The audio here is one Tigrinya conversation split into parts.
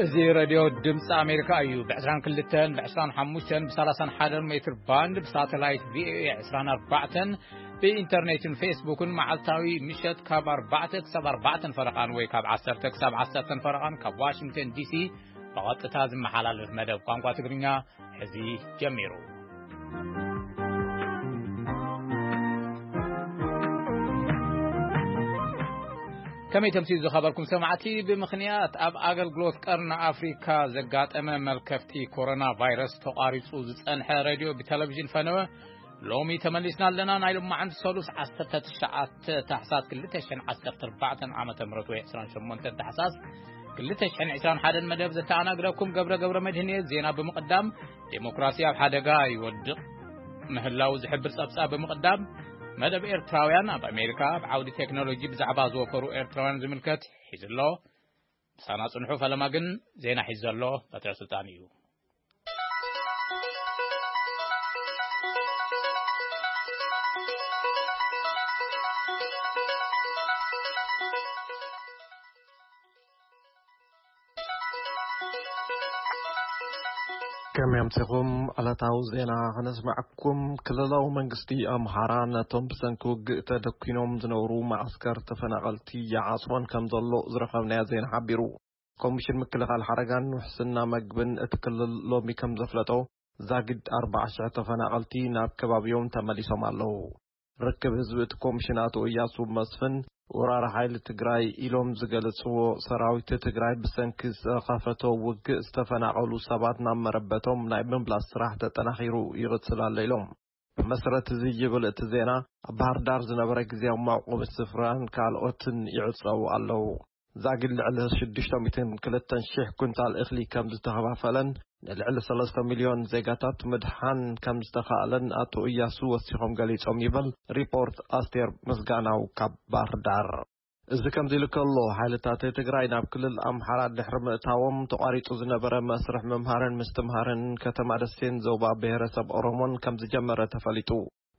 እዚ ሬድዮ ድምፂ ኣሜሪካ እዩ። ብ22፣ ብ25፣ ብ31 ሜትር ባንድ፣ ብሳተላይት ቪኦኤ 24፣ ብኢንተርኔትን ፌስቡክን መዓልታዊ ምሸት ካብ ኣርባዕተ ክሳብ ኣርባዕተን ፈረቓን ወይ ካብ ዓሰርተ ክሳብ ዓሰርተን ፈረቓን ካብ ዋሽንግተን ዲሲ ብቐጥታ ዝመሓላለፍ መደብ ቋንቋ ትግርኛ ሕዚ ጀሚሩ። ከመይ ተምሲሉ ዝኸበርኩም ሰማዕቲ፣ ብምኽንያት ኣብ ኣገልግሎት ቀርኒ ኣፍሪካ ዘጋጠመ መልከፍቲ ኮሮና ቫይረስ ተቋሪጹ ዝጸንሐ ሬድዮ ብቴሌቪዥን ፈነወ ሎሚ ተመሊስና ኣለና። ናይ ሎማዓንቲ ሰሉስ ዓሰርተ ትሽዓተ ታሕሳስ ክልተ ሽሕን ዓሰርተ ኣርባዕተን ዓመተ ምህረት ወይ ዕስራን ሸሞንተን ታሕሳስ ክልተ ሽሕን ዕስራን ሓደን መደብ ዘተኣናግደኩም ገብረ ገብረ መድህን እየ። ዜና ብምቕዳም፣ ዴሞክራሲ ኣብ ሓደጋ ይወድቕ ምህላው ዝሕብር ጸብጻብ ብምቕዳም፣ መደብ ኤርትራውያን ኣብ ኣሜሪካ ኣብ ዓውዲ ቴክኖሎጂ ብዛዕባ ዝወፈሩ ኤርትራውያን ዝምልከት ሒዙ ኣሎ። ምሳና ጽንሑ፣ ፈለማ ግን ዜና ሒዙ ዘሎ በትረ ስልጣን እዩ። ከመይ ኣምሲኹም? ዕለታዊ ዜና ከነስምዓኩም። ክልላዊ መንግስቲ ኣምሓራ ነቶም ብሰንኪ ውግእ ተደኲኖም ዝነብሩ መዓስከር ተፈናቐልቲ ይዓጽወን ከም ዘሎ ዝረኸብናዮ ዜና ሓቢሩ። ኮሚሽን ምክልኻል ሓደጋን ውሕስና መግብን እቲ ክልል ሎሚ ከም ዘፍለጦ፣ ዛጊድ ኣርባዓ ሽሕ ተፈናቐልቲ ናብ ከባቢኦም ተመሊሶም ኣለዉ። ርክብ ህዝቢ እቲ ኮሚሽን ኣቶ እያሱ መስፍን፣ ወራሪ ሓይሊ ትግራይ ኢሎም ዝገለጽዎ ሰራዊት ትግራይ ብሰንኪ ዝኸፈቶ ውግእ ዝተፈናቐሉ ሰባት ናብ መረበቶም ናይ ምምላስ ስራሕ ተጠናኺሩ ይቕጽል ኣሎ ኢሎም። ብመሰረት እዚ ይብል እቲ ዜና፣ ኣብ ባህር ዳር ዝነበረ ግዝያዊ መዕቆቢ ስፍራን ካልኦትን ይዕጸዉ ኣለዉ። ዛጊድ ልዕሊ ሽዱሽተ ሚእትን ክልተን ሽሕ ኩንታል እኽሊ ከም ዝተኸፋፈለን ንልዕሊ ሰለስተ ሚልዮን ዜጋታት ምድሓን ከም ዝተኻእለን ኣቶ እያሱ ወሲኾም ገሊጾም ይብል ሪፖርት ኣስቴር ምስጋናው ካብ ባህር ዳር። እዚ ከምዚ ኢሉ ከሎ፣ ሓይልታት ትግራይ ናብ ክልል ኣምሓራ ድሕሪ ምእታዎም ተቋሪጹ ዝነበረ መስርሕ ምምሃርን ምስትምሃርን ከተማ ደሴን ዞባ ብሔረሰብ ኦሮሞን ከም ዝጀመረ ተፈሊጡ።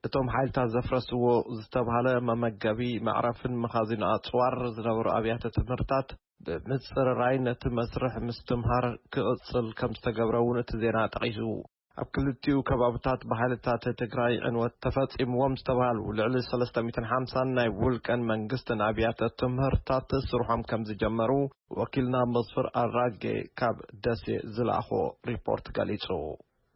እቶም ሓይልታት ዘፍረስዎ ዝተባህለ መመገቢ፣ መዕረፍን መኻዚን ኣጽዋር ዝነበሩ ኣብያተ ትምህርታት ብምጽርራይ ነቲ መስርሕ ምስትምሃር ክቕጽል ከም ዝተገብረ እውን እቲ ዜና ጠቒሱ። ኣብ ክልቲኡ ከባብታት ብሓይልታት ትግራይ ዕንወት ተፈጺምዎም ዝተባህሉ ልዕሊ ሰለስተ ሚእትን ሓምሳን ናይ ውልቀን መንግስትን ኣብያተ ትምህርታት ስርሖም ከም ዝጀመሩ ወኪልና መስፍር ኣራጌ ካብ ደሴ ዝለኣኾ ሪፖርት ገሊጹ።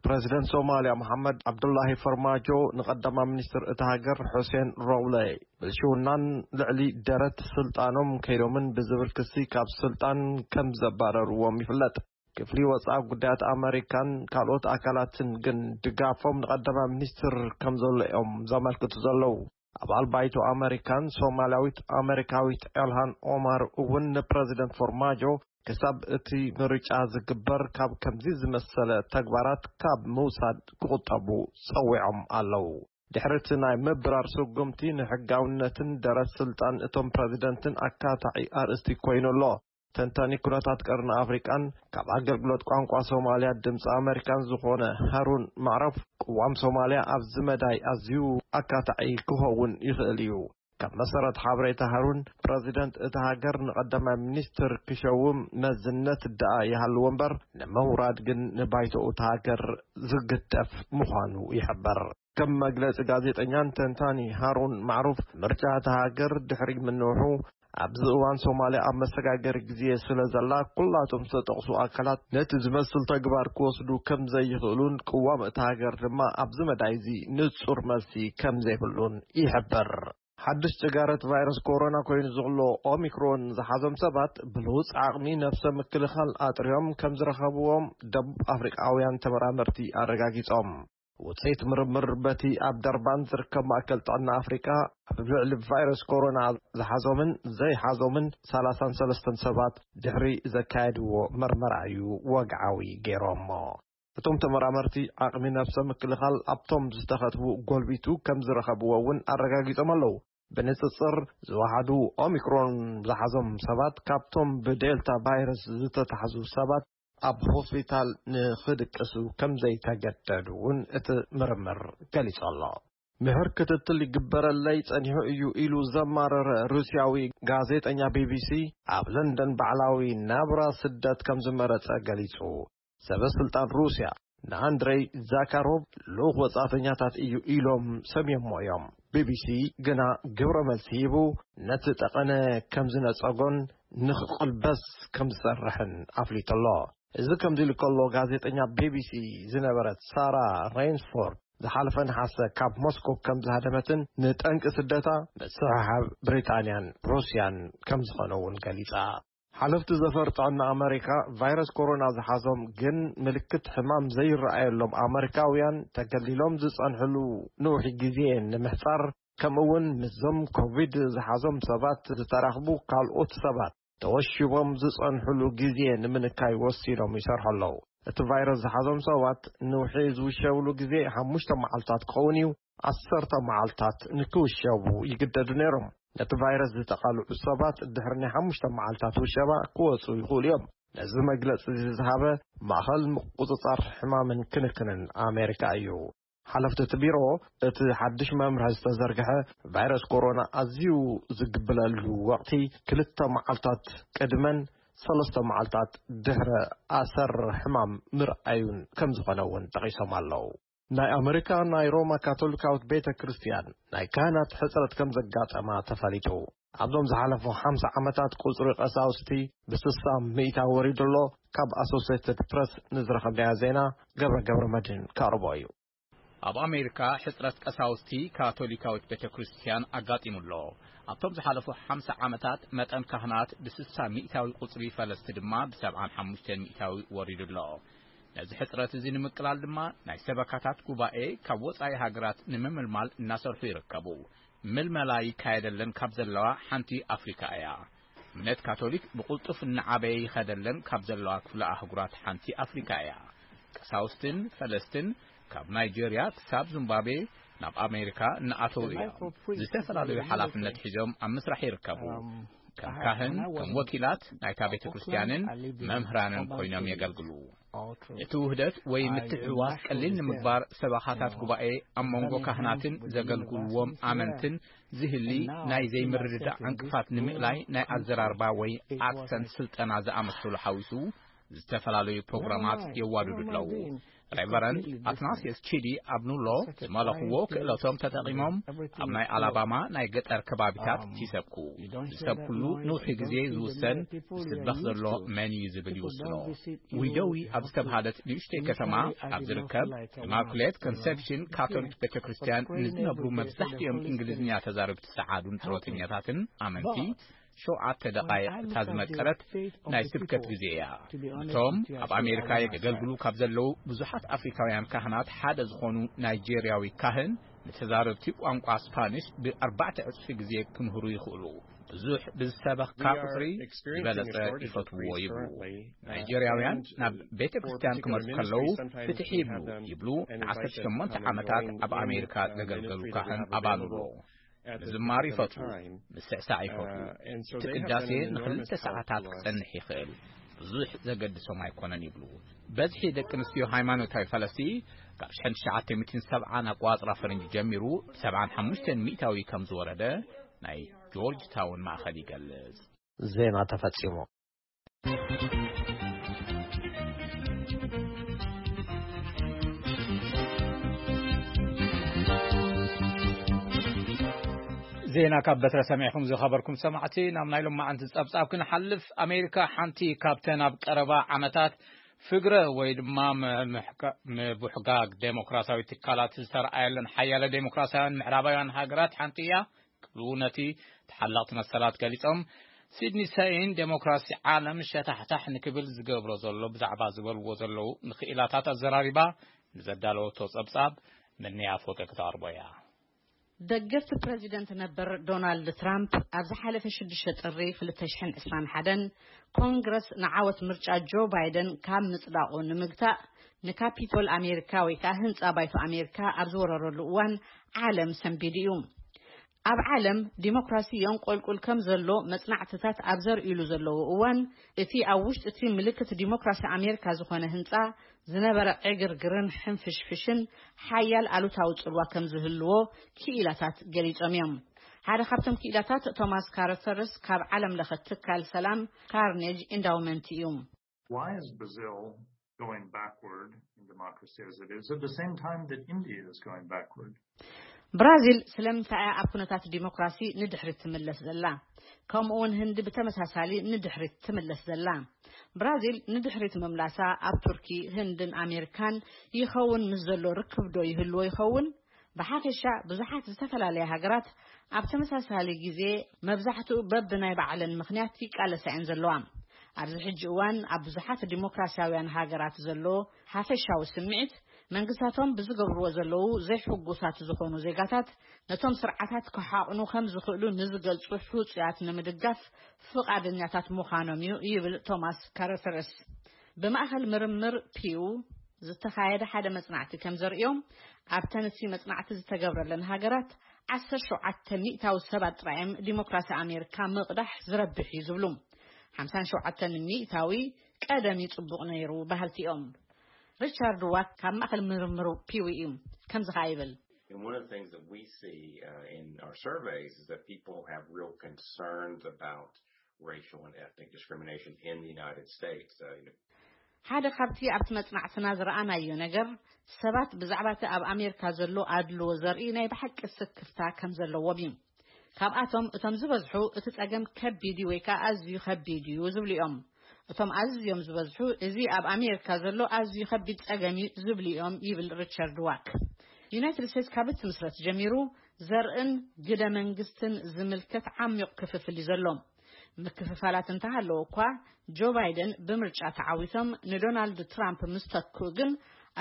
ፕረዚደንት ሶማልያ መሓመድ ዓብዱላሂ ፈርማጆ ንቀዳማይ ሚኒስትር እታ ሃገር ሑሴን ሮብለ ብልሽውናን ልዕሊ ደረት ስልጣኖም ከይዶምን ብዝብል ክሲ ካብ ስልጣን ከም ዘባረርዎም ይፍለጥ። ክፍሊ ወጻኢ ጉዳያት ኣመሪካን ካልኦት ኣካላትን ግን ድጋፎም ንቀዳማይ ሚኒስትር ከም ዘሎ እዮም ዘመልክቱ ዘለዉ። ኣባል ባይቶ ኣመሪካን ሶማልያዊት ኣመሪካዊት ኤልሃን ኦማር እውን ንፕረዚደንት ፎርማጆ ክሳብ እቲ ምርጫ ዝግበር ካብ ከምዚ ዝመሰለ ተግባራት ካብ ምውሳድ ክቑጠቡ ጸዊዖም ኣለዉ። ድሕሪ እቲ ናይ ምብራር ስጉምቲ፣ ንሕጋውነትን ደረት ስልጣን እቶም ፕረዚደንትን ኣካታዒ ኣርእስቲ ኮይኑ ኣሎ። ተንታኒ ኩነታት ቀርኒ ኣፍሪቃን ካብ ኣገልግሎት ቋንቋ ሶማልያ ድምፂ ኣመሪካን ዝኾነ ሃሩን ማዕረፍ፣ ቅዋም ሶማልያ ኣብዚ መዳይ ኣዝዩ ኣካታዒ ክኸውን ይኽእል እዩ። ካብ መሰረት ሓበሬታ ሃሩን፣ ፕረዚደንት እታ ሃገር ንቐዳማይ ሚኒስትር ክሸውም መዝነት ደኣ ይሃልዎ እምበር፣ ንምውራድ ግን ንባይቶኡ እታ ሃገር ዝግደፍ ምዃኑ ይሕበር። ከም መግለጺ ጋዜጠኛን ተንታኒ ሃሩን ማዕሩፍ፣ ምርጫ እታ ሃገር ድሕሪ ምንውሑ፣ ኣብዚ እዋን ሶማልያ ኣብ መሰጋገሪ ግዜ ስለ ዘላ፣ ኩላቶም ዝተጠቕሱ ኣካላት ነቲ ዝመስል ተግባር ክወስዱ ከም ዘይኽእሉን ቅዋም እታ ሃገር ድማ ኣብዚ መዳይ እዚ ንጹር መልሲ ከም ዘይብሉን ይሕበር። ሓድሽ ጭጋረት ቫይረስ ኮሮና ኮይኑ ዘሎ ኦሚክሮን ዝሓዞም ሰባት ብልውፅ ዓቕሚ ነብሰ ምክልኻል ኣጥርዮም ከም ዝረኸብዎም ደቡብ ኣፍሪቃውያን ተመራመርቲ ኣረጋጊጾም። ውፅኢት ምርምር በቲ ኣብ ደርባን ዝርከብ ማእከል ጥዕና ኣፍሪቃ ኣብ ልዕሊ ቫይረስ ኮሮና ዝሓዞምን ዘይሓዞምን ሰላሳን ሰለስተን ሰባት ድሕሪ ዘካየድዎ መርመራ እዩ ወግዓዊ ገይሮሞ። እቶም ተመራመርቲ ዓቕሚ ነብሰ ምክልኻል ኣብቶም ዝተኸትቡ ጎልቢቱ ከም ዝረኸብዎ እውን ኣረጋጊጾም ኣለዉ። ብንጽጽር ዝወሓዱ ኦሚክሮን ዝሓዞም ሰባት ካብቶም ብዴልታ ቫይረስ ዝተታሕዙ ሰባት ኣብ ሆስፒታል ንኽድቅሱ ከም ዘይተገደዱ እውን እቲ ምርምር ገሊጹ ኣሎ። ምሕር ክትትል ይግበረለይ ጸኒሑ እዩ ኢሉ ዘማረረ ሩስያዊ ጋዜጠኛ ቢቢሲ፣ ኣብ ለንደን ባዕላዊ ናብራ ስደት ከም ዝመረጸ ገሊጹ። ሰበ ስልጣን ሩስያ ንኣንድሬይ ዛካሮቭ ልኡኽ ወጻእተኛታት እዩ ኢሎም ሰምዮሞ እዮም። ቢቢሲ ግና ግብረ መልሲ ሂቡ፣ ነቲ ጠቐነ ከም ዝነጸጎን ንኽቕልበስ ከም ዝሰርሕን ኣፍሊጡ ኣሎ። እዚ ከምዚ ኢሉ ከሎ፣ ጋዜጠኛ ቢቢሲ ዝነበረት ሳራ ሬንስፎርድ ዝሓለፈ ነሓሰ ካብ ሞስኮ ከም ዝሃደመትን ንጠንቂ ስደታ ምስሕሓብ ብሪጣንያን ሩስያን ከም ዝኾነ እውን ገሊጻ። ሓለፍቲ ዘፈር ጥዕና ኣመሪካ፣ ቫይረስ ኮሮና ዝሓዞም ግን ምልክት ሕማም ዘይረኣየሎም ኣመሪካውያን ተገሊሎም ዝጸንሕሉ ንውሒ ግዜ ንምሕጻር፣ ከምኡ እውን ምስዞም ኮቪድ ዝሓዞም ሰባት ዝተራኽቡ ካልኦት ሰባት ተወሺቦም ዝጸንሕሉ ግዜ ንምንካይ ወሲኖም ይሰርሑ ኣለዉ። እቲ ቫይረስ ዝሓዞም ሰባት ንውሒ ዝውሸብሉ ግዜ ሓሙሽተ መዓልታት ክኸውን እዩ። ዓሰርተ መዓልታት ንክውሸቡ ይግደዱ ነይሮም። ነቲ ቫይረስ ዝተቓልዑ ሰባት ድሕሪ ናይ ሓሙሽተ መዓልታት ውሸባ ክወጹ ይኽእሉ እዮም። ነዚ መግለጺ እዚ ዝሃበ ማእኸል ምቁጽጻር ሕማምን ክንክንን ኣሜሪካ እዩ። ሓለፍቲ እቲ ቢሮ፣ እቲ ሓድሽ መምርሒ ዝተዘርግሐ ቫይረስ ኮሮና ኣዝዩ ዝግብለሉ ወቕቲ ክልተ መዓልታት ቅድመን ሰለስተ መዓልታት ድሕረ ኣሰር ሕማም ምርኣዩን ከም ዝኾነ እውን ጠቒሶም ኣለዉ። ናይ ኣመሪካ ናይ ሮማ ካቶሊካዊት ቤተ ክርስቲያን ናይ ካህናት ሕጽረት ከም ዘጋጠማ ተፈሊጡ። ኣብዞም ዝሓለፉ ሓምሳ ዓመታት ቁጽሪ ቀሳውስቲ ብስሳ ሚእታ ወሪዱ ኣሎ። ካብ ኣሶሴትድ ፕረስ ንዝረኸብናዮ ዜና ገብረ ገብረ መድህን ከቕርቦ እዩ። ኣብ ኣሜሪካ ሕጽረት ቀሳውስቲ ካቶሊካዊት ቤተ ክርስቲያን ኣጋጢሙ ኣሎ። ኣብቶም ዝሓለፉ ሓምሳ ዓመታት መጠን ካህናት ብስሳ ሚእታዊ፣ ቁጽሪ ፈለስቲ ድማ ብሰብዓን ሓሙሽተን ሚእታዊ ወሪዱ ኣሎ። ነዚ ሕጽረት እዚ ንምቅላል ድማ ናይ ሰበካታት ጉባኤ ካብ ወጻኢ ሃገራት ንምምልማል እናሰርሑ ይርከቡ። ምልመላ ይካየደለን ካብ ዘለዋ ሓንቲ ኣፍሪካ እያ። እምነት ካቶሊክ ብቕልጡፍ እናዓበየ ይኸደለን ካብ ዘለዋ ክፍለ ኣህጉራት ሓንቲ ኣፍሪካ እያ። ቀሳውስትን ፈለስትን ካብ ናይጄርያ ክሳብ ዚምባብዌ ናብ ኣሜሪካ እናኣተዉ እዮም። ዝተፈላለዩ ሓላፍነት ሒዞም ኣብ ምስራሕ ይርከቡ። ከም ካህን፣ ከም ወኪላት ናይታ ቤተ ክርስቲያንን መምህራንን ኮይኖም የገልግሉ። እቲ ውህደት ወይ ምትሕውዋስ ቀሊል ንምግባር፣ ሰበኻታት ጉባኤ ኣብ መንጎ ካህናትን ዘገልግልዎም ኣመንትን ዝህሊ ናይ ዘይምርድዳእ ዕንቅፋት ንምእላይ፣ ናይ ኣዘራርባ ወይ ኣክሰንት ስልጠና ዝኣመሰሉ ሓዊሱ ዝተፈላለዩ ፕሮግራማት የዋድዱ ኣለዉ። ሬቨረንድ ኣትናሲየስ ቺዲ ኣብ ኑሎ ዝመለኽዎ ክእለቶም ተጠቒሞም ኣብ ናይ ኣላባማ ናይ ገጠር ከባቢታት ይሰብኩ። ዝሰብኩሉ ንውሒ ግዜ ዝውሰን፣ ዝስበኽ ዘሎ መን እዩ ዝብል ይውስኖ። ዊዶዊ ኣብ ዝተብሃለት ንእሽተይ ከተማ ኣብ ዝርከብ ኢማኩሌት ኮንሰፕሽን ካቶሊክ ቤተ ክርስቲያን ንዝነብሩ መብዛሕትኦም እንግሊዝኛ ተዛረብቲ ጸዓዱን ጡረተኛታትን ኣመንቲ ሸውዓተ ደቓይቕ እታ ዝመቀረት ናይ ስብከት ግዜ እያ። እቶም ኣብ ኣሜሪካ የገልግሉ ካብ ዘለዉ ብዙሓት ኣፍሪካውያን ካህናት ሓደ ዝኾኑ ናይጄርያዊ ካህን፣ ንተዛረብቲ ቋንቋ ስፓኒሽ ብኣርባዕተ ዕጽፊ ግዜ ክምህሩ ይኽእሉ። ብዙሕ ብዝሰበኽካ ቁጽሪ ዝበለጸ ይፈትውዎ ይብሉ። ናይጄርያውያን ናብ ቤተ ክርስቲያን ክመጹ ከለዉ ፍትሕ ይብሉ ይብሉ። ንዓሰርተ ሸሞንተ ዓመታት ኣብ ኣሜሪካ ዘገልገሉ ካህን ኣባሉሎ። ምዝማር ይፈትዉ፣ ምስዕሳዕ ይፈትዉ። እቲ ቅዳሴ ንኽልተ ሰዓታት ክጸንሕ ይኽእል። ብዙሕ ዘገድሶም ኣይኮነን ይብሉ። በዝሒ ደቂ ኣንስትዮ ሃይማኖታዊ ፈለስቲ ካብ ሽሕን ትሽዓተ ሚእትን ሰብዓን ኣቋጽራ ፈረንጂ ጀሚሩ ብሰብዓን ሓሙሽተን ሚእታዊ ከም ዝወረደ ናይ ጆርጅ ታውን ማእኸል ይገልጽ። ዜና ተፈጺሙ። ዜና ካብ በትረ ሰሚዕኹም ዝኸበርኩም ሰማዕቲ፣ ናብ ናይ ሎማዓንቲ ጸብጻብ ክንሓልፍ። ኣሜሪካ ሓንቲ ካብተን ኣብ ቀረባ ዓመታት ፍግረ ወይ ድማ ምምሕጋ-፣ ምቡሕጋግ ዴሞክራሲያዊ ትካላት ዝተረኣየለን ሓያለ ዴሞክራሲያውያን ምዕራባውያን ሃገራት ሓንቲ እያ ክብሉ ነቲ ተሓላቕቲ መሰላት ገሊጾም። ሲድኒ ሰይን ዴሞክራሲ ዓለም ሸታሕታሕ ንክብል ዝገብሮ ዘሎ ብዛዕባ ዝበልዎ ዘለዉ ንክኢላታት ኣዘራሪባ ንዘዳለወቶ ጸብጻብ ምንያ ፎቶ ክተቕርቦ እያ። ደገፍቲ ፕረዚደንት ነበር ዶናልድ ትራምፕ ኣብ ዝሓለፈ ሽዱሽተ ጥሪ ክልተ ሽሕን ዕስራን ሓደን ኮንግረስ ንዓወት ምርጫ ጆ ባይደን ካብ ምጽዳቑ ንምግታእ ንካፒቶል ኣሜሪካ ወይ ከኣ ህንጻ ባይቶ ኣሜሪካ ኣብ ዝወረረሉ እዋን ዓለም ሰንቢዱ እዩ። ኣብ ዓለም ዲሞክራሲ የንቆልቁል ከም ዘሎ መጽናዕትታት ኣብ ዘርእሉ ዘለዉ እዋን፣ እቲ ኣብ ውሽጢ እቲ ምልክት ዲሞክራሲ ኣሜሪካ ዝኾነ ህንጻ ዝነበረ ዕግርግርን ሕንፍሽፍሽን ሓያል ኣሉታዊ ጽልዋ ከም ዝህልዎ ክኢላታት ገሊጾም እዮም። ሓደ ካብቶም ክኢላታት ቶማስ ካርተርስ ካብ ዓለም ለኸ ትካል ሰላም ካርኔጅ ኢንዳውመንት እዩ። Why is Brazil going backward in democracy as it is at the same time that India is going backward? ብራዚል ስለምንታይ እያ ኣብ ኩነታት ዲሞክራሲ ንድሕሪት ትምለስ ዘላ? ከምኡ እውን ህንዲ ብተመሳሳሊ ንድሕሪት ትምለስ ዘላ? ብራዚል ንድሕሪት ምምላሳ ኣብ ቱርኪ፣ ህንድን ኣሜሪካን ይኸውን ምስ ዘሎ ርክብ ዶ ይህልዎ ይኸውን? ብሓፈሻ ብዙሓት ዝተፈላለያ ሃገራት ኣብ ተመሳሳሊ ግዜ መብዛሕትኡ በብናይ ባዕለን ምኽንያት ይቃለሳ እየን ዘለዋ። ኣብዚ ሕጂ እዋን ኣብ ብዙሓት ዲሞክራሲያውያን ሃገራት ዘሎ ሓፈሻዊ ስምዒት መንግስታቶም ብዝገብርዎ ዘለዉ ዘይሕጉሳት ዝኾኑ ዜጋታት ነቶም ስርዓታት ክሓቕኑ ከም ዝኽእሉ ንዝገልጹ ሕጹያት ንምድጋፍ ፍቓደኛታት ምዃኖም እዩ ይብል ቶማስ ካረተርስ። ብማእኸል ምርምር ፒው ዝተኻየደ ሓደ መጽናዕቲ ከም ዘርእዮ ኣብ ተነሲ መጽናዕቲ ዝተገብረለን ሃገራት ዓሰርተ ሸውዓተ ሚእታዊ ሰባት ጥራይ እዮም ዲሞክራሲ ኣሜሪካ ምቕዳሕ ዝረብሕ እዩ ዝብሉ ሓምሳን ሸውዓተን ሚእታዊ ቀደም እዩ ጽቡቕ ነይሩ በሃልቲ እዮም። ሪቻርድ ዋክ ካብ ማእኸል ምርምሩ ፒው እዩ ከምዚ ኸኣ ይብል። And one of the things that we see uh, in our surveys is that people have real concerns about racial and ethnic discrimination in the United States. Uh, you know, ሓደ ካብቲ ኣብቲ መጽናዕትና ዝረኣናዮ ነገር ሰባት ብዛዕባ እቲ ኣብ ኣሜሪካ ዘሎ ኣድልዎ ዘርኢ ናይ ብሓቂ ስክፍታ ከም ዘለዎም እዩ። ካብኣቶም እቶም ዝበዝሑ እቲ ጸገም ከቢድ እዩ ወይ ከዓ ኣዝዩ ከቢድ እዩ ዝብሉ እዮም። እቶም ኣዝዮም ዝበዝሑ እዚ ኣብ ኣሜሪካ ዘሎ ኣዝዩ ከቢድ ጸገም እዩ ዝብሉ እዮም ይብል ሪቻርድ ዋክ። ዩናይትድ ስቴትስ ካብ እትምስረት ጀሚሩ ዘርእን ግደ መንግስትን ዝምልከት ዓሚቕ ክፍፍል እዩ ዘሎ። ምክፍፋላት እንተሃለዎ እኳ ጆ ባይደን ብምርጫ ተዓዊቶም ንዶናልድ ትራምፕ ምስ ተክኡ ግን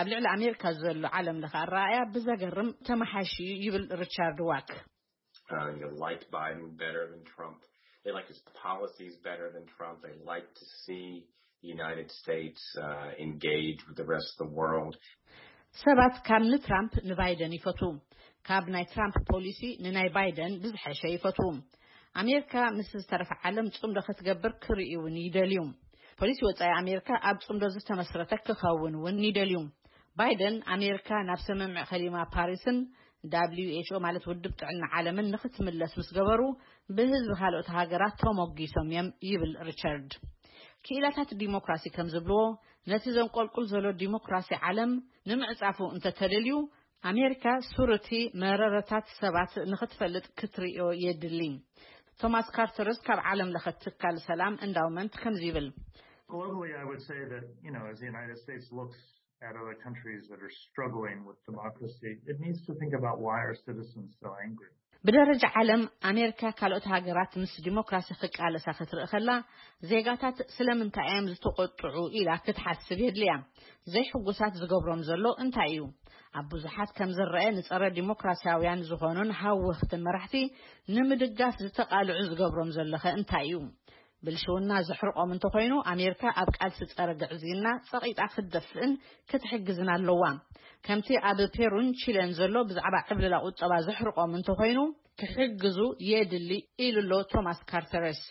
ኣብ ልዕሊ ኣሜሪካ ዘሎ ዓለም ለኸ ኣረኣእያ ብዘገርም ተመሓይሹ እዩ ይብል ሪቻርድ ዋክ። uh, you know, liked Biden better than Trump. They liked his policies better than Trump. They liked to see the United States uh, engage with the rest of the world. ሰባት ካብ ንትራምፕ ንባይደን ይፈትዉ። ካብ ናይ ትራምፕ ፖሊሲ ንናይ ባይደን ብዝሐሸ ይፈትዉ። ኣሜሪካ ምስ ዝተረፈ ዓለም ጽምዶ ክትገብር ክርእዩ እውን ይደልዩ። ፖሊሲ ወጻኢ ኣሜሪካ ኣብ ጽምዶ ዝተመስረተ ክኸውን እውን ይደልዩ። ባይደን ኣሜሪካ ናብ ስምምዕ ከሊማ ፓሪስን ደብሊው ኤች ኦ ማለት ውድብ ጥዕና ዓለምን ንክትምለስ ምስ ገበሩ ብህዝቢ ካልኦት ሃገራት ተሞጊሶም እዮም ይብል ሪቻርድ። ክኢላታት ዲሞክራሲ ከም ዝብልዎ ነቲ ዘንቆልቁል ዘሎ ዲሞክራሲ ዓለም ንምዕጻፉ እንተተደልዩ ኣሜሪካ ሱርቲ መረረታት ሰባት ንክትፈልጥ ክትርእዮ የድሊ። ቶማስ ካርተርስ ካብ ዓለም ለኸ ትካል ሰላም እንዳውመንት ከምዚ ይብል። Globally, I would say that, you know, as the United States looks at other countries that are struggling with democracy, it needs to think about why are citizens so angry. ብደረጃ ዓለም ኣሜሪካ ካልኦት ሃገራት ምስ ዲሞክራሲ ክቃለሳ ክትርኢ ከላ ዜጋታት ስለምንታይ እዮም ዝተቆጥዑ ኢላ ክትሓስብ የድልያ። ዘይሕጉሳት ዝገብሮም ዘሎ እንታይ እዩ? ኣብ ብዙሓት ከም ዝረአ ንጸረ ዲሞክራሲያውያን ዝኾኑን ሃወኽትን መራሕቲ ንምድጋፍ ዝተቃልዑ ዝገብሮም ዘለኸ እንታይ እዩ? ብልሽውና ዘሕርቆም እንተኾይኑ ኣሜሪካ ኣብ ቃልሲ ጸረ ግዕዝይና ጸቒጣ ክትደፍእን ክትሕግዝን ኣለዋ። ከምቲ ኣብ ፔሩን ቺለን ዘሎ ብዛዕባ ዕብልላ ቁጠባ ዘሕርቆም እንተኾይኑ ክሕግዙ የድሊ ኢሉ ኣሎ ቶማስ ካርተረስ።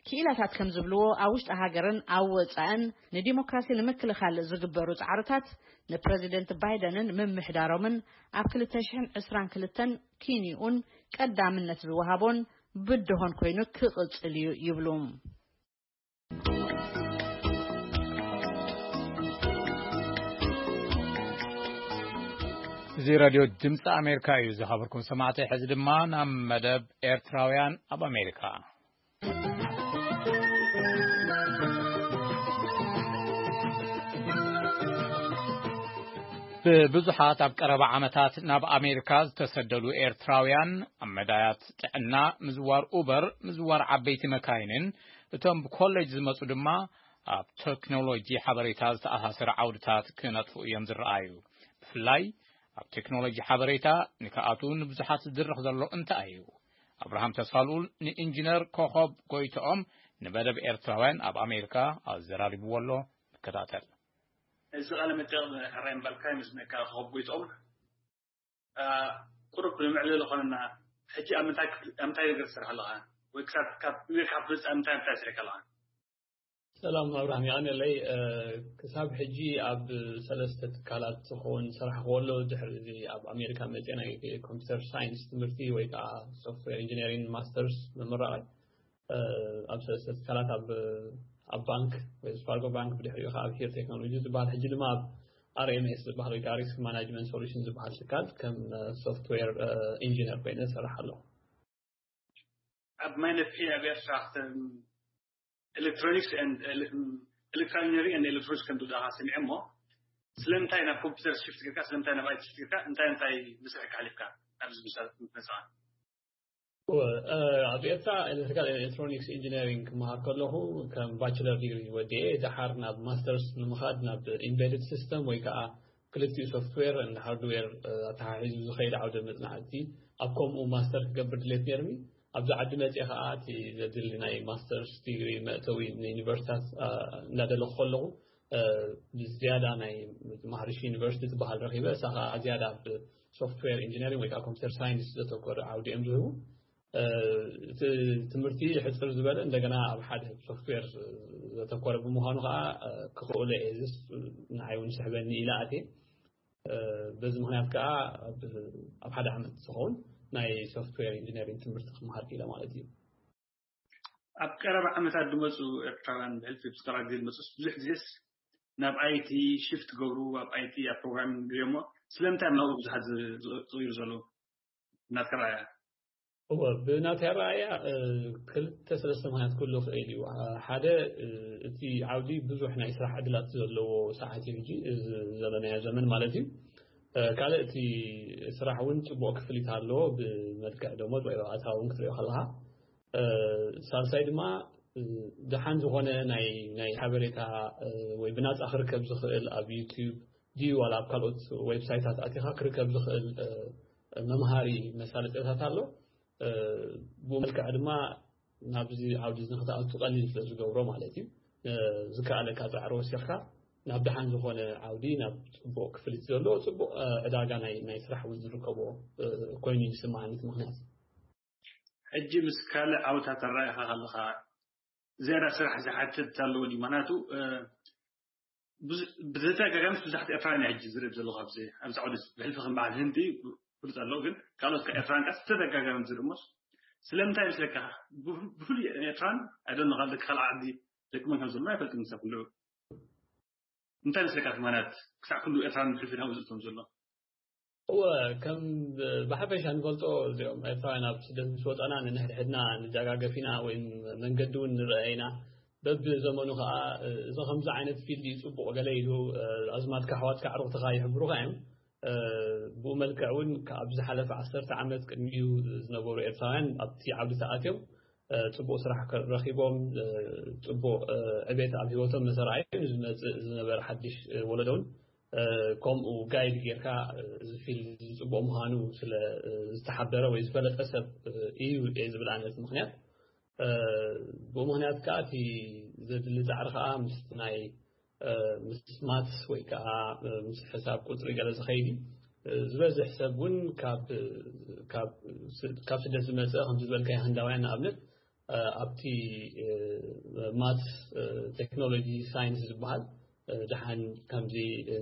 ክኢላታት ከም ዝብልዎ ኣብ ውሽጢ ሃገርን ኣብ ወጻእን ንዲሞክራሲ ንምክልኻል ዝግበሩ ጻዕርታት ንፕረዚደንት ባይደንን ምምሕዳሮምን ኣብ ክልተ ሽሕን ዕስራን ክልተን ኪንኡን ቀዳምነት ዝወሃቦን ብድሆን ኮይኑ ክቕጽል እዩ ይብሉ። እዚ ሬድዮ ድምፂ ኣሜሪካ እዩ ዝኸበርኩም ሰማዕቲ። ሕዚ ድማ ናብ መደብ ኤርትራውያን ኣብ ኣሜሪካ። ብብዙሓት ኣብ ቀረባ ዓመታት ናብ ኣሜሪካ ዝተሰደዱ ኤርትራውያን ኣብ መዳያት ጥዕና፣ ምዝዋር ኡበር፣ ምዝዋር ዓበይቲ መካይንን እቶም ብኮሌጅ ዝመጹ ድማ ኣብ ቴክኖሎጂ ሓበሬታ ዝተኣሳሰረ ዓውድታት ክነጥፉ እዮም ዝረኣዩ። ብፍላይ ኣብ ቴክኖሎጂ ሓበሬታ ንክኣትዉ ንብዙሓት ዝድርኽ ዘሎ እንታይ እዩ? ኣብርሃም ተስፋልኡል ንኢንጂነር ኮኾብ ጎይትኦም ንመደብ ኤርትራውያን ኣብ ኣሜሪካ ኣዘራሪብዎ ኣሎ። ንከታተል። እዚ ቃለ መጠይቕ ሕራይ ምባልካ ይመስለካ ኮኾብ ጎይትኦም። ቁሩብ ንምዕልል ዝኾነና ሕጂ ኣብ ምንታይ ክፍሊ ኣብ ምንታይ ነገር ትሰርሕ ኣለኻ? ወይ ክሳብ ካብ ኣሜሪካ ክትወፅእ ኣብ ምንታይ ምንታይ ሰሪሕካ ኣለኻ? ሰላም ኣብርሃም፣ የቐንየለይ። ክሳብ ሕጂ ኣብ ሰለስተ ትካላት ዝኸውን ዝሰራሕክዎ ኣሎ። ድሕሪ እዚ ኣብ ኣሜሪካ መፅአ ናይ ኮምፒውተር ሳይንስ ትምህርቲ ወይ ከዓ ሶፍትዌር ኢንጂነሪንግ ማስተርስ ምምራቕ ኣብ ሰለስተ ትካላት፣ ኣብ ኣብ ባንክ፣ ዌልስ ፋርጎ ባንክ፣ ብድሕሪኡ ከዓ ኣብ ሂር ቴክኖሎጂ ዝበሃል፣ ሕጂ ድማ ኣብ ኣር ኤም ኤስ ዝበሃል ወይ ከዓ ሪስክ ማናጅመንት ሶሉሽን ዝበሃል ትካል ከም ሶፍትዌር ኢንጂነር ኮይነ ዝሰርሕ ኣለኹ። ኣብ ማይነፊ ኣብ ኤርትራ ኤሌክትሮኒክስ ኤሌክትሮኒክስ ኤሌክትሮኒክስ ከም ትብልካ ሰሚዐ እሞ፣ ስለምንታይ ናብ ኮምፒውተር ሽፍት ጌርካ፣ ስለምንታይ ናብ ኣይቲ ሽፍት ጌርካ፣ እንታይ እንታይ መስርሕ ሓሊፍካ ኣብዚ ምሳል መጽኣ? ኣብ ኤርትራ ኤሌክትሪካል ኤሌክትሮኒክስ ኢንጂነሪንግ ክመሃር ከለኹ ከም ባችለር ዲግሪ ወዲኤ፣ ደሓር ናብ ማስተርስ ንምኻድ ናብ ኢምቤድድ ሲስተም ወይ ከዓ ክልቲኡ ሶፍትዌር እንድ ሃርድዌር ኣተሓሒዙ ዝኸይድ ዓውደ መጽናዕቲ፣ ኣብ ከምኡ ማስተር ክገብር ድሌት ነይርኒ። ኣብዚ ዓዲ መጽኤ ከዓ እቲ ዘድሊ ናይ ማስተርስ ዲግሪ መእተዊ ንዩኒቨርሲታት እንዳደለኹ ከለኹ፣ ብዝያዳ ናይ ማህርሺ ዩኒቨርሲቲ ትበሃል ረኺበ። እሳ ከዓ ዝያዳ ኣብ ሶፍትዌር ኢንጂነሪንግ ወይ ከዓ ኮምፒውተር ሳይንስ ዘተኮረ ዓውዲ እዮም ዝህቡ። እቲ ትምህርቲ ሕፅር ዝበለ፣ እንደገና ኣብ ሓደ ሶፍትዌር ዘተኮረ ብምዃኑ ከዓ ክኽእሎ እየ፣ ዝስ ንዓይ እውን ስሕበኒ ኢለ ኣትየ። በዚ ምክንያት ከዓ ኣብ ሓደ ዓመት ዝኸውን ናይ ሶፍትዌር ኢንጂነሪንግ ትምህርቲ ክመሃር ክኢለ ማለት እዩ። ኣብ ቀረባ ዓመታት ዝመፁ ኤርትራውያን ብሕልፊ ብዝቀረባ ግዜ ዝመፁ ብዙሕ ግዜስ ናብ ኣይቲ ሽፍት ገብሩ፣ ኣብ ኣይቲ ኣብ ፕሮግራሚንግ ገይሮሞ። ስለምንታይ ናብኡ ብዙሓት ዝቕይሩ ዘለዉ ናትካ ረኣያ? እወ፣ ብናተይ ኣረኣእያ ክልተ ሰለስተ ምክንያት ክህሉ ይኽእል እዩ። ሓደ፣ እቲ ዓውዲ ብዙሕ ናይ ስራሕ ዕድላት ዘለዎ ሰዓት እዩ ሕጂ፣ እዚ ዘለናዮ ዘመን ማለት እዩ። ካልእ፣ እቲ ስራሕ እውን ፅቡቕ ክፍሊት ኣለዎ፣ ብመልክዕ ደሞዝ ወይ ኣታዊ እውን ክትሪኦ ከለካ። ሳልሳይ ድማ፣ ደሓን ዝኾነ ናይ ናይ ሓበሬታ ወይ ብናፃ ክርከብ ዝኽእል ኣብ ዩቲዩብ ድዩ ዋላ ኣብ ካልኦት ዌብሳይታት ኣቲኻ ክርከብ ዝኽእል መምሃሪ መሳለጥያታት ኣሎ። ብኡ መልክዕ ድማ ናብዚ ዓውዲ እዚ ንክትኣቱ ቀሊል ስለ ዝገብሮ ማለት እዩ። ዝከኣለካ ፃዕሪ ወሲኽካ ናብ ደሓን ዝኾነ ዓውዲ፣ ናብ ፅቡቕ ክፍሊት ዘለዎ፣ ፅቡቕ ዕዳጋ ናይ ናይ ስራሕ እውን ዝርከቦ ኮይኑ ይስማዓኒ እቲ ምክንያት። ሕጂ ምስ ካልእ ዓውታት ኣረኣእኻ ከለኻ ዝያዳ ስራሕ ዝሓትት ኣለዎ ድዩ? ምክንያቱ ብተደጋጋሚ ብዙሓት ኤርትራውያን ሕጂ ዝርኢ ዘለኹ ኣብዚ ኣብዚ ዓውዲ፣ ብሕልፊ ከም በዓል ህንዲ ፍሉጥ ኣሎ፣ ግን ካልኦት ኤርትራውያን ከኣ ተደጋጋሚ ዝርኢ እሞ፣ ስለምንታይ ይመስለካ? ብፍሉይ ኤርትራን ኣይደኖ ካልእ ካልእ ዓዲ ደቂ መን ከም ዘሎ ኣይፈልጥን። ክሳብ ክንድኡ እንታይ ይመስለካ? ትማናት ክሳብ ክንድኡ ኤርትራን ብሕልፊ ናብኡ ዝእቶም ዘሎ? እወ፣ ከም ብሓፈሻ ንፈልጦ፣ እዚኦም ኤርትራውያን ኣብ ስደት ምስ ወፀና ንንሕድሕድና ንደጋገፍ ኢና ወይ መንገዲ እውን ንረአ ኢና። በብዘመኑ ከዓ እዚ ከምዚ ዓይነት ፊልድ እዩ ፅቡቕ ገለ ኢሉ ኣዝማድካ ኣሕዋትካ ኣዕሩኽትኻ ይሕብሩኻ እዮም። ብኡ መልክዕ እውን ካብ ዝሓለፈ ዓሰርተ ዓመት ቅድሚኡ ዝነበሩ ኤርትራውያን ኣብቲ ዓውዲ ተኣትዮም ፅቡቕ ስራሕ ረኺቦም፣ ፅቡቕ ዕቤት ኣብ ህይወቶም ምስ ኣርኣዩ፣ ንዝመፅእ ዝነበረ ሓድሽ ወለዶ እውን ከምኡ ጋይድ ጌርካ፣ እዚ ፊልድ እዚ ፅቡቕ ምዃኑ ስለ ዝተሓበረ ወይ ዝፈለጠ ሰብ እዩ እየ ዝብል ኣነ እቲ ምክንያት። ብኡ ምክንያት ከዓ እቲ ዘድሊ ፃዕሪ ከዓ ምስ ናይ ምስ ማትስ ወይ ከዓ ምስ ሕሳብ ቁፅሪ ገለ ዝኸይድ እዩ። ዝበዝሕ ሰብ እውን ካብ ካብ ስደት ዝመፀ፣ ከምዚ ዝበልካዮ ህንዳውያን ንኣብነት፣ ኣብቲ ማትስ፣ ቴክኖሎጂ፣ ሳይንስ ዝበሃል ደሓን ከምዚ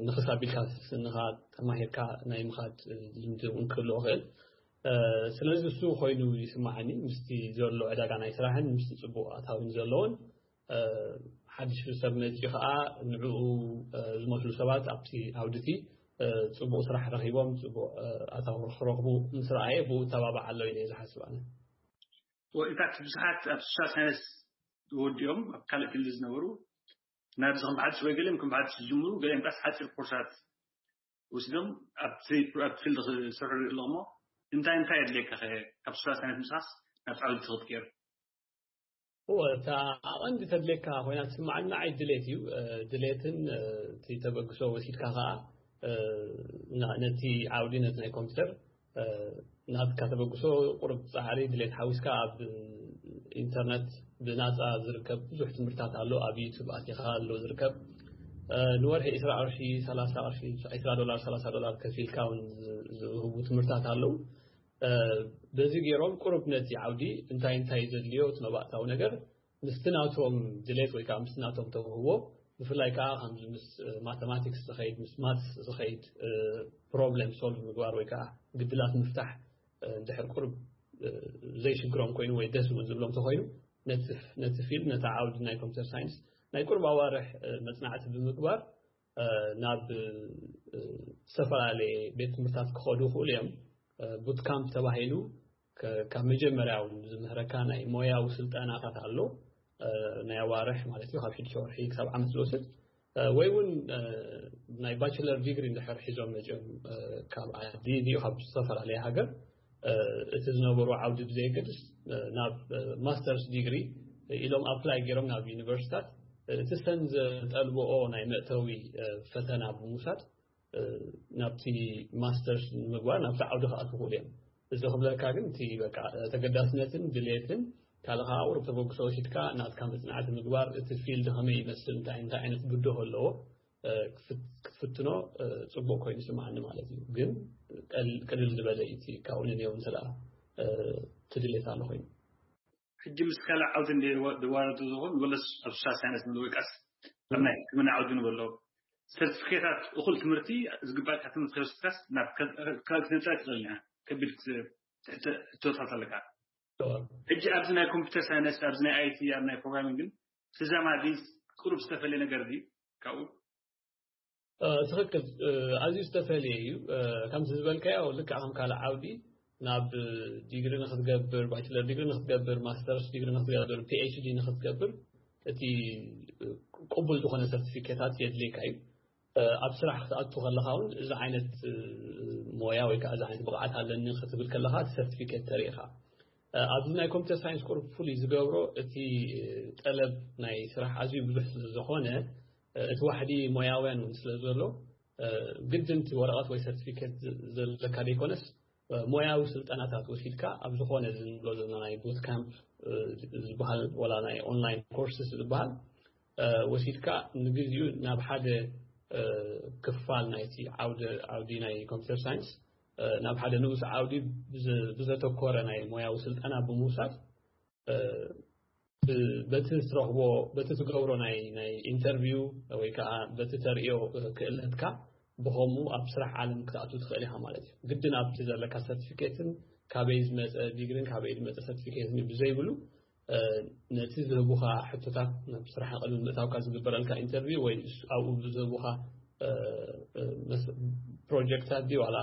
ንኽስ ኣቢልካ ስንኻ ተማሂርካ ናይ ምኻድ ልምዲ እውን ክህልዎ ይኽእል። ስለዚ እሱ ኮይኑ ይስማዓኒ፣ ምስቲ ዘሎ ዕዳጋ ናይ ስራሕን ምስቲ ፅቡቕ ኣታዊን ዘለዎን ሓድሽ ሰብ መፂኡ ከዓ ንዕኡ ዝመስሉ ሰባት ኣብቲ ዓውድቲ ፅቡቕ ስራሕ ረኺቦም ፅቡቕ ኣታዊ ክረኽቡ ምስ ረኣየ ብኡ እተባባዕ ኣሎ ኢለ እየ ዝሓስብ ኣነ። ወኢታት ብዙሓት ኣብ ሶሻል ሳይንስ ወዲኦም ኣብ ካልእ ፊልድ ዝነበሩ ናብዚ ከም ብሓድሽ ወይ ገሊኦም ከም ብሓድሽ ዝጅምሩ፣ ገሊኦም ቃስ ሓፂር ኮርሳት ወስዶም ኣብቲ ኣብቲ ፊልድ ክሰርሑ ይርኢ ኣለኹ። እሞ እንታይ እንታይ የድልየካ ከ ካብ ሶሻል ሳይንስ ምስኻስ ናብ ዓውዲ ትኽትቀየር? እወ፣ እታ ኣቐንዲ ተድልየካ ኮይና ትስምዓኒ ንዓይ ድሌት እዩ። ድሌትን እቲ ተበግሶ ወሲድካ ከዓ ነቲ ዓውዲ፣ ነቲ ናይ ኮምፒውተር ናትካ ተበግሶ ቁሩብ ፃዕሪ ድሌት ሓዊስካ ኣብ ኢንተርነት ብናፃ ዝርከብ ብዙሕ ትምህርታት ኣሎ። ኣብ ዩቱብ ኣቲኻ ኣሎ ዝርከብ። ንወርሒ ዒስራ ቅርሺ፣ ሰላሳ ቅርሺ፣ ዒስራ ዶላር፣ ሰላሳ ዶላር ከፊልካ እውን ዝህቡ ትምህርታት ኣለዉ። በዚ ገይሮም ቁሩብ ነቲ ዓውዲ እንታይ እንታይ ዘድልዮ እቲ መባእታዊ ነገር ምስቲ ናቶም ድሌት ወይ ከዓ ምስቲ ናቶም ተውህቦ፣ ብፍላይ ከዓ ከምዚ ምስ ማተማቲክስ ዝኸይድ፣ ምስ ማትስ ዝኸይድ ፕሮብለም ሶልቭ ምግባር ወይ ከዓ ግድላት ምፍታሕ እንድሕር ቁርብ ዘይሽግሮም ኮይኑ ወይ ደስ እውን ዝብሎም ተኮይኑ፣ ነቲ ፊልድ፣ ነታ ዓውዲ ናይ ኮምፒተር ሳይንስ ናይ ቁርብ ኣዋርሕ መፅናዕቲ ብምግባር ናብ ዝተፈላለየ ቤት ትምህርታት ክኸዱ ይኽእሉ እዮም። ቡት ካምፕ ተባሂሉ ካብ መጀመርያ እውን ዝምህረካ ናይ ሞያዊ ስልጠናታት ኣሎ። ናይ ኣዋርሕ ማለት እዩ፣ ካብ ሽዱሽተ ወርሒ ክሳብ ዓመት ዝወስድ። ወይ እውን ናይ ባችለር ዲግሪ እንድሕር ሒዞም መፅኦም ካብ ዓዲ ድዩ ካብ ዝተፈላለየ ሃገር፣ እቲ ዝነበሩ ዓውዲ ብዘየገድስ ናብ ማስተርስ ዲግሪ ኢሎም ኣፕላይ ገይሮም ናብ ዩኒቨርሲታት፣ እቲ ሰን ዘጠልብኦ ናይ መእተዊ ፈተና ብምውሳድ ናብቲ ማስተርስ ንምግባር ናብቲ ዓውዲ ክኣትዉ ይኽእሉ እዮም። እዚ ክብለካ ግን እቲ በቃ ተገዳስነትን ድሌትን ካልእ ከዓ ቁሩብ ተበግሶ ወሲድካ ናትካ መፅናዕቲ ምግባር፣ እቲ ፊልድ ከመይ ይመስል፣ እንታይ እንታይ ዓይነት ብድሆ ኣለዎ ክትፍትኖ ፅቡቅ ኮይኑ ይስምዓኒ ማለት እዩ። ግን ቅልል ዝበለ እዩ እቲ ካብኡ ንንየው እንተ እቲ ድሌት ኣሎ ኮይኑ። ሕጂ ምስ ካልእ ዓውዲ ድዋረዱ ዝኹን ወለስ ኣብ ሶሻል ሳይንስ ንብል ወይ ቃስ ኣብ ናይ ሕክምና ዓውዲ ንበሎ ሰርቲፊኬታት እኹል ትምህርቲ ዝግባእካ ትምህርቲ ከይወሰድካስ ናብ ካልእ ክትነጥራ ትኽእል ኢኻ። ከቢድ ትሕተ- ሕቶታት ኣለካ። ሕጂ ኣብዚ ናይ ኮምፒውተር ሳይንስ፣ ኣብዚ ናይ ኣይቲ፣ ኣብ ናይ ፕሮግራሚንግ ግን ተዛማዲ ቁሩብ ዝተፈለየ ነገር ድዩ ካብኡ? ትኽክል። ኣዝዩ ዝተፈለየ እዩ። ከምዚ ዝበልካዮ ልክዕ ከም ካልእ ዓውዲ ናብ ዲግሪ ንክትገብር፣ ባችለር ዲግሪ ንክትገብር፣ ማስተርስ ዲግሪ ንክትገብር፣ ፒኤችዲ ንክትገብር እቲ ቅቡል ዝኾነ ሰርቲፊኬታት የድልየካ እዩ። ኣብ ስራሕ ክትኣቱ ከለካ እውን እዚ ዓይነት ሞያ ወይ ከዓ እዚ ዓይነት ብቕዓት ኣለኒ ክትብል ከለካ እቲ ሰርቲፊኬት ተሪኢኻ። ኣብዚ ናይ ኮምፒተር ሳይንስ ቁሩብ ፍሉይ ዝገብሮ እቲ ጠለብ ናይ ስራሕ ኣዝዩ ብዙሕ ስለዝኾነ እቲ ዋሕዲ ሞያውያን እውን ስለ ዘሎ ግድን እቲ ወረቐት ወይ ሰርቲፊኬት ዘለካ ዘይኮነስ ሞያዊ ስልጠናታት ወሲድካ ኣብ ዝኾነ ዝንብሎ ዘለና ናይ ቡት ካምፕ ዝበሃል ወላ ናይ ኦንላይን ኮርስስ ዝበሃል ወሲድካ ንግዚኡ ናብ ሓደ ክፋል ናይቲ ዓውዲ ናይ ኮምፒተር ሳይንስ ናብ ሓደ ንኡስ ዓውዲ ብዘተኮረ ናይ ሞያዊ ስልጠና ብምውሳድ በቲ ትረኽቦ በቲ ትገብሮ ናይ ናይ ኢንተርቪው ወይ ከዓ በቲ ተርእዮ ክእለትካ ብኸምኡ ኣብ ስራሕ ዓለም ክትኣቱ ትኽእል ኢኻ ማለት እዩ። ግድን ኣብቲ ዘለካ ሰርቲፊኬትን ካበይ ዝመፀ ዲግሪን ካበይ ዝመፀ ሰርቲፊኬትን ብዘይብሉ ነቲ ዝህቡኻ ሕቶታት ናብ ስራሕ ቅድሚ ምእታውካ ዝግበረልካ ኢንተርቪው ወይ ኣብኡ ዝህቡኻ ፕሮጀክታት ድዩ ዋላ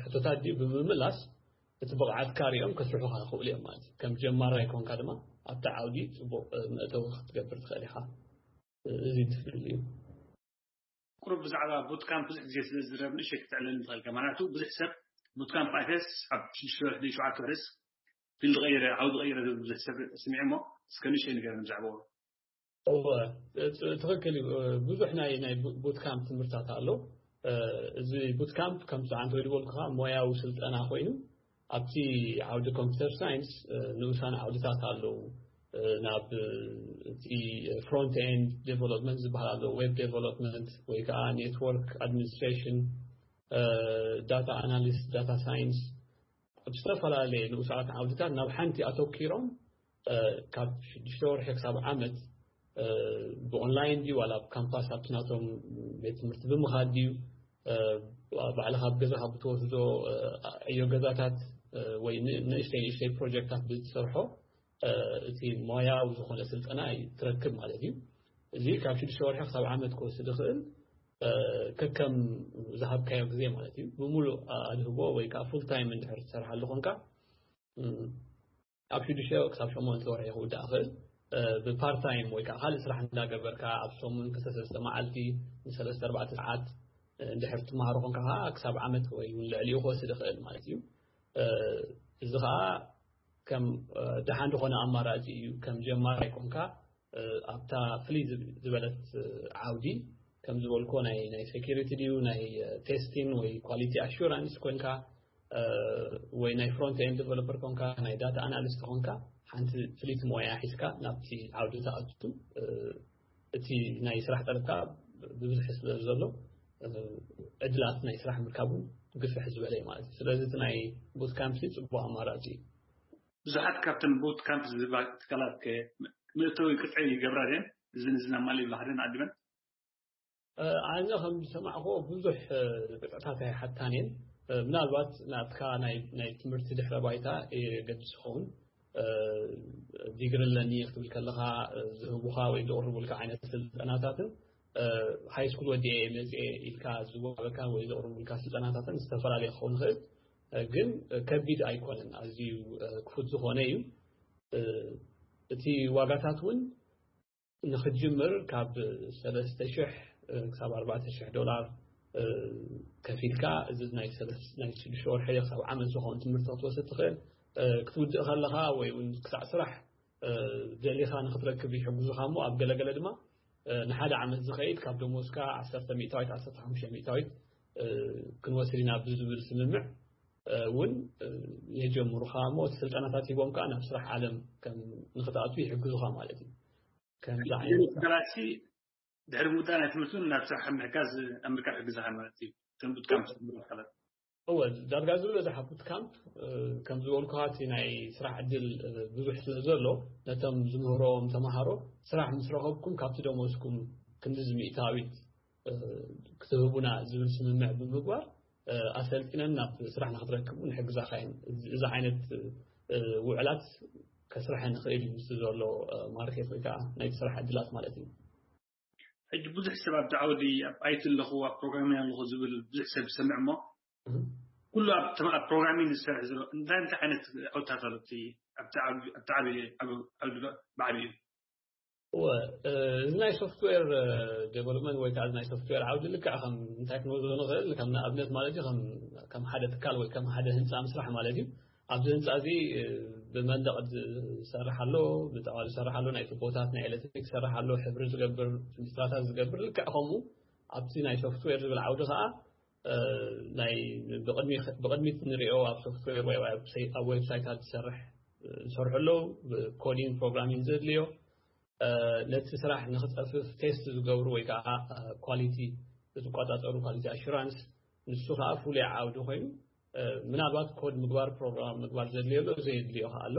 ሕቶታት ድዩ ብምምላስ እቲ ብቕዓትካ ሪኦም ከስርሑኻ ይኽእሉ እዮም ማለት እዩ። ከም ጀማራይ ኮንካ ድማ ኣብቲ ዓውዲ ፅቡቕ መእተዊ ክትገብር ትኽእል ኢኻ። እዚ ትፍልል እዩ። ቁሩብ ብዛዕባ ቡት ካምፕ ብዙሕ ግዜ ስለ ዝረብ ንእሸ ክትዕለል ንትኽእል ከማናቱ ብዙሕ ሰብ ቡት ካምፕ ኣተስ ኣብ ሽዱሽተ ወርሒ ሸውዓተ ወርሕስ ፊልድ ቀይረ ዓውዲ ቀይረ ዝብል ብዙሕ ሰብ ስሚዕ እሞ እስከ ንእሸ ንገር ብዛዕባዎ። እወ ትኽክል እዩ። ብዙሕ ናይ ናይ ቡት ካምፕ ትምህርታት ኣሎ። እዚ ቡት ካምፕ ከም ሰዓንተ ወይ ዝበልኩኻ ሞያዊ ስልጠና ኮይኑ ኣብቲ ዓውዲ ኮምፒተር ሳይንስ ንኡሳን ዓውድታት ኣለዉ። ናብ እቲ ፍሮንት ኤንድ ዴቨሎፕመንት ዝበሃል ኣሎ፣ ዌብ ዴቨሎፕመንት ወይ ከዓ ኔትወርክ ኣድሚኒስትሬሽን፣ ዳታ ኣናሊስት፣ ዳታ ሳይንስ፣ ኣብ ዝተፈላለየ ንኡሳት ዓውድታት ናብ ሓንቲ ኣተኪሮም ካብ ሽዱሽተ ወርሒ ክሳብ ዓመት ብኦንላይን ድዩ ዋላ ኣብ ካምፓስ ኣብቲ ናቶም ቤት ትምህርቲ ብምኻድ ድዩ ባዕልኻ ኣብ ገዛኻ ብትወስዶ ዕዮ ገዛታት ወይ ንእሽተይ ንእሽተይ ፕሮጀክታት ብዝትሰርሖ እቲ ሞያዊ ዝኾነ ስልጠና ትረክብ ማለት እዩ። እዚ ካብ ሽዱሽተ ወርሒ ክሳብ ዓመት ክወስድ ይኽእል ከከም ዝሃብካዮ ግዜ ማለት እዩ። ብሙሉእ ኣድህቦ ወይ ከዓ ፉል ታይም እንድሕር ትሰርሓሉ ኮንካ ኣብ ሽዱሽተ ክሳብ ሸሞንተ ወርሒ ክውዳእ ይኽእል። ብፓርት ታይም ወይ ከዓ ካልእ ስራሕ እንዳገበርካ ኣብ ሰሙን ክልተ ሰለስተ መዓልቲ ንሰለስተ ኣርባዕተ ሰዓት እንድሕር ትመሃሮ ኮንካ ከዓ ክሳብ ዓመት ወይ እውን ልዕሊኡ ክወስድ ይኽእል ማለት እዩ። እዚ ከዓ ከም ደሓን ዝኾነ ኣማራፂ እዩ። ከም ጀማራይ ኮንካ ኣብታ ፍልይ ዝበለት ዓውዲ ከም ዝበልኮ ናይ ናይ ሴኪሪቲ ድዩ ናይ ቴስቲን ወይ ኳሊቲ ኣሹራንስ ኮንካ ወይ ናይ ፍሮንት ኤንድ ዴቨሎፐር ኮንካ ናይ ዳታ ኣናሊስት ኮንካ ሓንቲ ፍልይቲ ሞያ ሒዝካ ናብቲ ዓውዲ ተኣቱ እቲ ናይ ስራሕ ጠለብካ ብብዝሒ ስለ ዘሎ ዕድላት ናይ ስራሕ ምርካቡ ግፍሕ ዝበለ እዩ ማለት እዩ። ስለዚ እቲ ናይ ቡት ካምፕ ጽቡቅ ኣማራፂ እዩ። ብዙሓት ካብተን ቡት ካምፕ ዝህባ ትካላት ከ መእተዊ ቅጥዒ ይገብራ ድየን? እዝን እዝን ኣማሊ ይብላ ሓደን ዓዲበን? ኣነ ከም ዝሰማዕኮ ብዙሕ ቅጥዕታት ኣይሓታን እየን። ምናልባት ናትካ ናይ ትምህርቲ ድሕረ ባይታ የገድስ ይኸውን። ዲግሪ ኣለኒ ክትብል ከለኻ ዝህቡኻ ወይ ዘቕርቡልካ ዓይነት ስልጠናታትን ሃይ ስኩል ወዲኤ መፅኤ ኢልካ ዝወሃበካ ወይ ዘቕርቡልካ ስልጠናታትን ዝተፈላለየ ክኸውን ይኽእል። ግን ከቢድ ኣይኮነን፣ ኣዝዩ ክፉት ዝኾነ እዩ። እቲ ዋጋታት እውን ንክጅምር ካብ ሰለስተ ሽሕ ክሳብ ኣርባዕተ ሽሕ ዶላር ከፊልካ፣ እዚ ናይ ሰለስ- ናይ ሽዱሽተ ወርሒ ክሳብ ዓመት ዝኸውን ትምህርቲ ክትወስድ ትኽእል። ክትውድእ ከለኻ ወይ እውን ክሳዕ ስራሕ ደሊኻ ንክትረክብ ይሕግዙኻ እሞ፣ ኣብ ገለገለ ድማ ንሓደ ዓመት ዝኸይድ ካብ ደሞዝካ ዓሰርተ ሚእታዊት፣ ዓሰርተ ሓሙሽተ ሚእታዊት ክንወስድ ኢና ብዝብል ስምምዕ እውን የጀምሩኻ እሞ፣ እቲ ስልጠናታት ሂቦም ከዓ ናብ ስራሕ ዓለም ከም ንክትኣቱ ይሕግዙኻ ማለት እዩ። ከምዚ ዓይነት ገላሲ ድሕሪ ምውዳእ ናይ ትምህርቲ እውን ናብ ስራሕ ምሕጋዝ ኣምሪካ ይሕግዝኻ ማለት እዩ። ከም ቡትካምፕ ዝብሉ ኣካላት። እወ፣ ዳርጋ ዝበዝሓ ቡትካምፕ ከም ዝበልኩኻ እቲ ናይ ስራሕ ዕድል ብዙሕ ስለ ዘሎ፣ ነቶም ዝምህሮም ተምሃሮ ስራሕ ምስ ረኸብኩም ካብቲ ደሞዝኩም ክንዲ ሚእታዊት ክትህቡና ዝብል ስምምዕ ብምግባር ኣሰልጢነን ናብ ስራሕ ንክትረክቡ ንሕግዛኻ እየን። እዚ ዓይነት ውዕላት ከስርሐ ንኽእል እዩ፣ ምስ ዘሎ ማርኬት ወይ ከዓ ናይ ስራሕ ዕድላት ማለት እዩ። ሕጂ ብዙሕ ሰብ ኣብቲ ዓውዲ ኣብ ኣይቲ ኣለኹ ኣብ ፕሮግራሚንግ ኣለኹ ዝብል ብዙሕ ሰብ ዝሰምዕ እሞ፣ ኩሉ ኣብ ፕሮግራሚንግ ዝሰርሕ ዘሎ እንታይ እንታይ ዓይነት ዓውድታት ኣሎ ኣብቲ ዓብዩ ዓብዩ እወ፣ እዚ ናይ ሶፍትዌር ዴቨሎፕመንት ወይ ከዓ ናይ ሶፍትዌር ዓውዲ ልክዕ ከም እንታይ ክንወስዶ ንኽእል፣ ከም ንኣብነት ማለት እዩ ከም ሓደ ትካል ወይ ከም ሓደ ህንፃ ምስራሕ ማለት እዩ። ኣብዚ ህንፃ እዚ ብመንደቕ ዝሰርሕ ኣሎ፣ ብጣዋል ዝሰርሕ ኣሎ፣ ናይ ቱቦታት ናይ ኤሌክትሪክ ዝሰርሕ ኣሎ፣ ሕብሪ ዝገብር፣ ፍንጅትራታት ዝገብር። ልክዕ ከምኡ ኣብቲ ናይ ሶፍትዌር ዝብል ዓውዲ ከዓ ናይ ብቕድሚት ንሪኦ ኣብ ሶፍትዌር ወይ ኣብ ዌብሳይታት ዝሰርሕ ዝሰርሑ ኣለዉ። ኮዲንግ ፕሮግራሚንግ ዘድልዮ፣ ነቲ ስራሕ ንክፀፍፍ ቴስት ዝገብሩ ወይ ከዓ ኳሊቲ፣ ዝቆፃፀሩ፣ ኳሊቲ ኣሹራንስ፣ ንሱ ከዓ ፍሉይ ዓውዲ ኮይኑ ምናልባት ኮድ ምግባር፣ ፕሮግራም ምግባር ዘድልዮ ኣሎ፣ ዘየድልዮ ከዓ ኣሎ።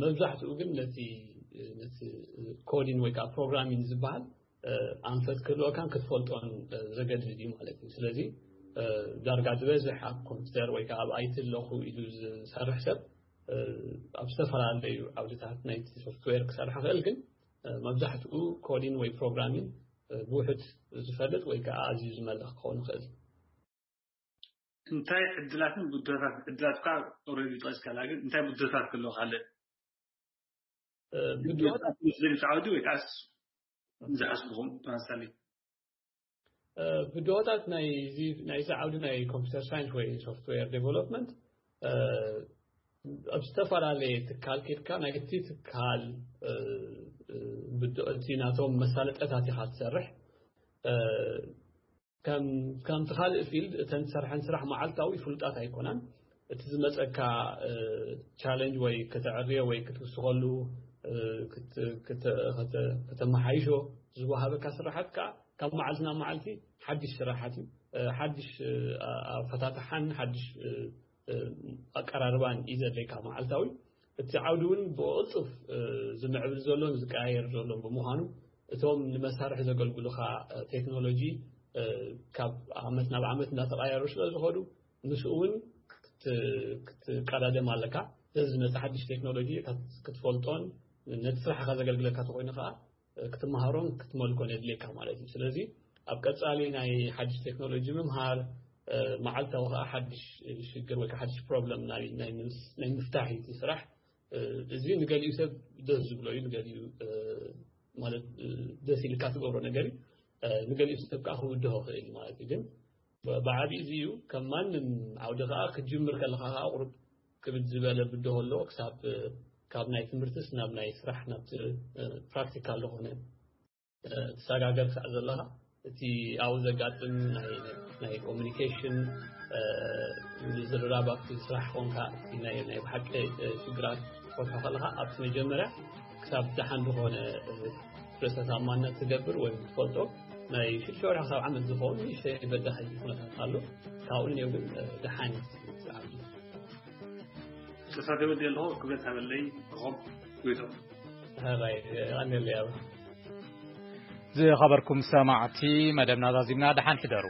መብዛሕትኡ ግን ነቲ ነቲ ኮዲን ወይ ከዓ ፕሮግራሚንግ ዝበሃል ኣንፈት ክህልወካን ክትፈልጦን ዘገድድ እዩ ማለት እዩ። ስለዚ ዳርጋ ዝበዝሕ ኣብ ኮምፒውተር ወይ ከዓ ኣብ ኣይቲ ኣለኹ ኢሉ ዝሰርሕ ሰብ ኣብ ዝተፈላለዩ ዓውድታት ናይቲ ሶፍትዌር ክሰርሕ ይኽእል። ግን መብዛሕትኡ ኮዲን ወይ ፕሮግራሚንግ ብውሕድ ዝፈልጥ ወይ ከዓ ኣዝዩ ዝመልኽ ክኸውን ይኽእል። እንታይ ዕድላትን ብድሆታት፣ ዕድላት እኳ ኦልሬዲ ጠቂስካላ፣ ግን እንታይ ብድሆታት ክህልዎ ካልእ ብድሆታት ዝብል ዓውዲ ወይ ከዓስ ዝሓስብኹም ተመሳሳሊ ብድሆታት ናይዚ ናይዚ ዓውዲ ናይ ኮምፒውተር ሳይንስ ወይ ሶፍትዌር ዴቨሎፕመንት ኣብ ዝተፈላለየ ትካል ኬድካ ናይቲ ትካል ብድሆ እቲ ናቶም መሳለጠታት ኢኻ ትሰርሕ። ከም ከምቲ ካልእ ፊልድ እተን ትሰርሐን ስራሕ መዓልታዊ ፍሉጣት ኣይኮናን። እቲ ዝመፀካ ቻለንጅ ወይ ከተዕርዮ ወይ ክትውስኸሉ ከተመሓይሾ ዝወሃበካ ስራሓት ከዓ ካብ መዓልቲ ናብ መዓልቲ ሓድሽ ስራሓት እዩ። ሓድሽ ኣፈታትሓን ሓድሽ ኣቀራርባን እዩ ዘድልየካ መዓልታዊ። እቲ ዓውዲ እውን ብቕልጡፍ ዝምዕብል ዘሎን ዝቀያየር ዘሎን ብምዃኑ እቶም ንመሳርሒ ዘገልግሉኻ ቴክኖሎጂ ካብ ዓመት ናብ ዓመት እንዳተቐያየሩ ስለ ዝኸዱ ምስኡ እውን ክትቀዳደም ኣለካ። ስለዚ ዝመፅእ ሓድሽ ቴክኖሎጂ ክትፈልጦን ነቲ ስራሕካ ዘገልግለካ ተኮይኑ ከዓ ክትመሃሮን ክትመልኮን የድልየካ ማለት እዩ። ስለዚ ኣብ ቀፃሊ ናይ ሓድሽ ቴክኖሎጂ ምምሃር መዓልታዊ ከዓ ሓድሽ ሽግር ወይ ከዓ ሓድሽ ፕሮብለም ናይ ምፍታሕ እዩ ስራሕ። እዚ ንገሊኡ ሰብ ደስ ዝብሎ እዩ፣ ንገሊኡ ማለት ደስ ኢልካ ትገብሮ ነገር እዩ። ንገሊኡ ሰብ ከዓ ክብድሆ ክእል ማለት እዩ። ግን ብዓብዩ እዚ እዩ። ከም ማንም ዓውዲ ከዓ ክትጅምር ከለካ ከዓ ቁሩብ ክብድ ዝበለ ብድሆ ኣለዎ። ክሳብ ካብ ናይ ትምህርትስ ናብ ናይ ስራሕ ናብቲ ፕራክቲካል ዝኾነ ትሰጋገር ክሳዕ ዘለካ እቲ ኣብኡ ዘጋጥም ናይ ኮሚኒኬሽን ምዝርራብ ኣብቲ ስራሕ ኮንካ ናይ ብሓቂ ሽግራት ትፈትሖ ከለካ ኣብቲ መጀመርያ ክሳብ ደሓን ዝኾነ ርእሰ ተኣማንነት ትገብር ወይ ትፈልጦ ናይ ሽዱሽተ ወርሒ ክሳብ ዓመት ዝኸውን ንእሽተይ በዳሂ ኩነታት ኣሎ። ካብኡ ንኔው ግን ደሓን እዩ። ተሳተፈ ዘለኹ ክብረት ሃበለይ። ሮብ ጎይቶም። ዝኸበርኩም ሰማዕቲ፣ መደብና ዛዚምና፣ ደሓን ሕደሩ።